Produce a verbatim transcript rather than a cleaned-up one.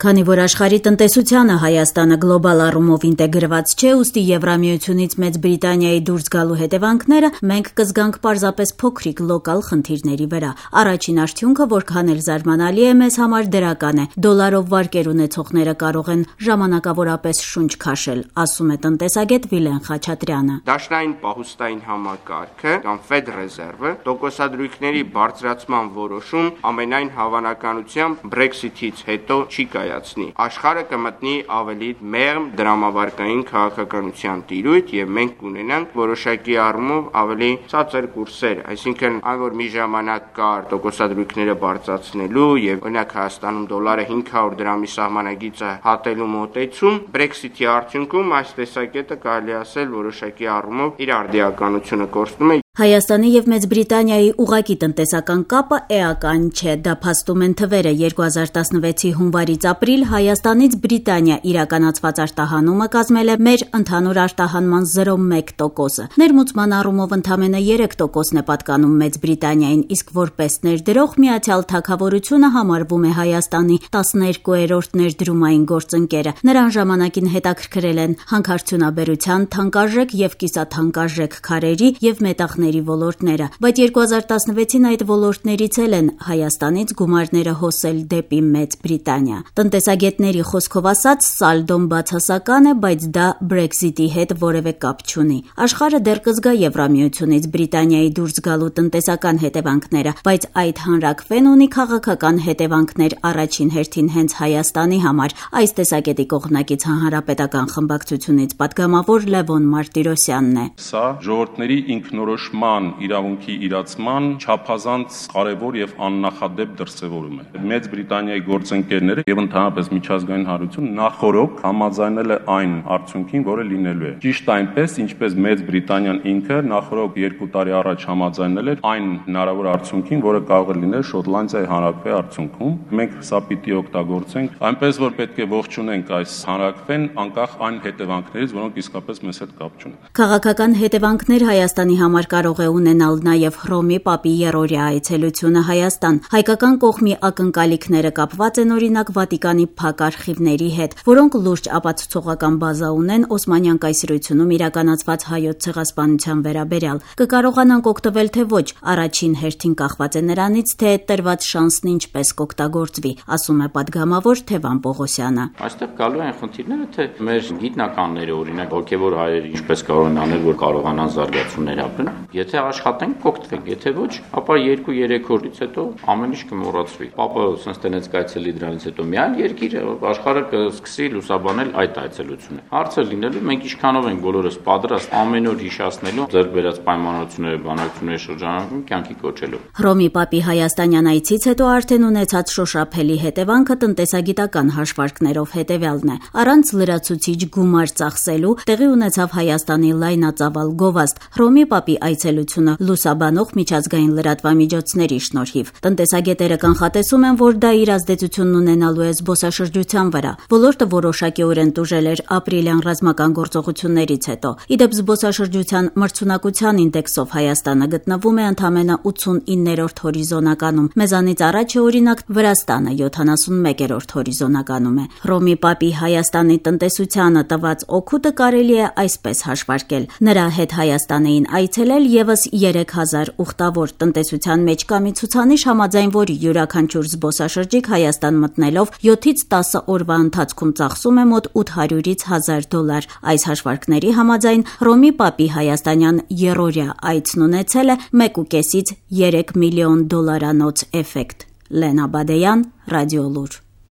Քանի որ աշխարհի տնտեսությանը Հայաստանը գլոբալ առումով ինտեգրված չէ, ուստի Եվրամիությունից Մեծ Բրիտանիայի դուրս գալու հետևանքները մենք կզգանք պարզապես փոքրիկ լոկալ խնդիրների վրա։ Առաջին արդյունքը, որքան էլ զարմանալի է, մեզ համար դրական է։ Դոլարով վարկեր ունեցողները կարող են ժամանակավորապես շունչ քաշել, ասում է տնտեսագետ Վիլեն Խաչատրյանը։ Դաշնային պահուստային համակարգը կամ Fed Reserve-ը տոկոսադրույքների բարձրացման որոշում ամենայն հավանականությամբ Brexit-ից հետո չի կայացնի։ Աշխարհը կմտնի ավելի մեղմ դրամավարկային քաղաքականության տիրույթ եւ մենք կունենանք որոշակի առումով ավելի ցածր կուրսեր, այսինքն այն որ մի ժամանակ կար տոկոսադրույքները բարձրացնելու եւ օրինակ Հայաստանում դոլարը հինգ հարյուր դրամի սահմանագիծը հատելու մոտեցում, Brexit-ի արդյունքում այս տեսակետը կարելի ասել որոշակի առումով իր արդիականությունը կորցնում է։ Հայաստանի եւ Մեծ Բրիտանիայի ուղղակի տնտեսական կապը էական չէ, դա փաստում են թվերը։ երկու հազար տասնվեցի հունվարից ապրիլ Հայաստանից Բրիտանիա իրականացված արտահանումը կազմել է մեր ընդհանուր արտահանման զրո կόμμα մեկ տոկոսը։ Ներմուծման առումով ընդամենը երեք տոկոսն է պատկանում Մեծ Բրիտանիային, իսկ որպես ներդրող Միացյալ Թագավորությունը համարվում է Հայաստանի տասներկուերորդ ներդրումային գործընկերը։ Նրան ժամանակին հետաքրքրել են հանքարդյունաբերության, թանկարժեք եւ կիսաթանկարժեք քարերի եւ մետաղների ոլորտները, բայց երկու հազար տասնվեցին այդ ոլորտներից էլ են Հայաստանից գումարները հոսել դեպի Մեծ Բրիտանիա։ Տնտեսագետների խոսքով ասած, սալդոն բացասական է, բայց դա Brexit-ի հետ որևէ կապ չունի։ Աշխարհը դեռ կզգա Եվրամիությունից Բրիտանիայի դուրս գալու տնտեսական հետևանքները, բայց այդ հանրաքվեն ունի քաղաքական հետևանքներ առաջին հերթին հենց Հայաստանի համար։ Այս տեսակետի կողմնակից հանրապետական խմբակցությունից պատգամավոր Լևոն Մարտիրոսյանն է։ Սա ժողովրդների ինքնորոշման իրավունքի իրացման չափազանց կարևոր եւ աննախադեպ դրսեւորում է։ Մեծ Բրիտանիայի գործընկերները եւ ընդհանրապես միջազգային հանրությունը նախորոք համաձայնել է այն արդյունքին, որը լինելու է։ Ճիշտ այնպես, ինչպես Մեծ Բրիտանիան ինքը նախորոք երկու տարի առաջ համաձայնել էր այն հնարավոր արդյունքին, որը կարող է լինել Շոտլանդիայի հանրաքվեի արդյունքում։ Մենք սա պիտի օգտագործենք, այնպես որ պետք է ողջունենք այս հանրաքվեն, անկախ այն հետևանքներից, որոնք իսկապես մեզ հետ կապ չունեն։ Քաղաքական հետևանքներ Հայաստանի համար կարող է ունենալ նաև Հռոմի Պապի երրորդյա այցելությունը Հայաստան։ Հայկական կողմի ակնկալիքները կապված են օրինակ Վատիկանի փակ արխիվների հետ, որոնք լուրջ ապացուցողական բազա ունեն Օսմանյան կայսրությունում իրականացված հայոց ցեղասպանության վերաբերյալ։ Կկարողանանք օգտվել թե ոչ, առաջին հերթին կախված է նրանից, թե տրված շանսն ինչպես կօգտագործվի, ասում է պատգամավոր Թևան Պողոսյանը։ Այստեղ գալու են խնդիրները, թե մեր գիտնականները, օրինակ հոգևոր հայերը ինչպես կարող են անել, որ կարողանան զարգացումներ ապրեն։ Եթե աշխատենք, կօգտվենք, եթե ոչ, ապա երկու-երեք օրից հետո ամեն ինչ կմոռացվի։ Պապը sense տնեց կայցելի դրանից հետո մի այլ երկիր աշխարհը կսկսի լուսաբանել այդ այցելությունը։ Հարցը լինելու մենք ինչքանով ենք բոլորս պատրաստ ամեն օր հիշացնելու ձեռք բերած պայմանությունները, բանակցությունների շրջանակում կյանքի կոչելու։ Հռոմի Պապի հայաստանյան այցից հետո արդեն ունեցած շոշափելի հետևանքը տնտեսագիտական հաշվարկներով հետևյալն է։ Առանց լրացուցիչ գումար ծախսելու տեղի ունեցավ Հայաստանի լայնածավալ գովազդ։ Հռոմի Պապի այցելությունը լուսաբանող միջազգային լրատվամիջոցների շնորհիվ։ Տնտեսագետերը կանխատեսում են, որ դա իր ազդեցությունն ունենալու է զբոսաշրջության վրա։ Ոլորտը որոշակիորեն տուժել էր ապրիլյան ռազմական գործողություններից հետո։ Իդեպ զբոսաշրջության մրցունակության ինդեքսով Հայաստանը գտնվում է ընդամենը ութսունիններորդ հորիզոնականում։ Մեզանից առաջ է օրինակ Վրաստանը յոթանասունմեկերորդ հորիզոնականում է։ Հռոմի Պապի Հայաստանի տնտեսությանը տված օգուտը կարելի է այսպես հաշվարկել։ Նրա հետ Հայաստան էին այցելել եւս երեք հազար ուխտավոր տնտեսության մեջ կա մի ցուցանիշ, համաձայն որի յուրաքանչյուր զբոսաշրջիկ Հայաստան մտնելով յոթից տասը օրվա ընթացքում ծախսում է մոտ ութ հարյուրից հազար դոլար։ Այս հաշվարկների համաձայն Հռոմի Պապի հայաստանյան երրորդյա այցն ունեցել է մեկուկեսից երեք միլիոն դոլարանոց էֆեկտ։ Լենա Բադեյան, Ռադիոլուր։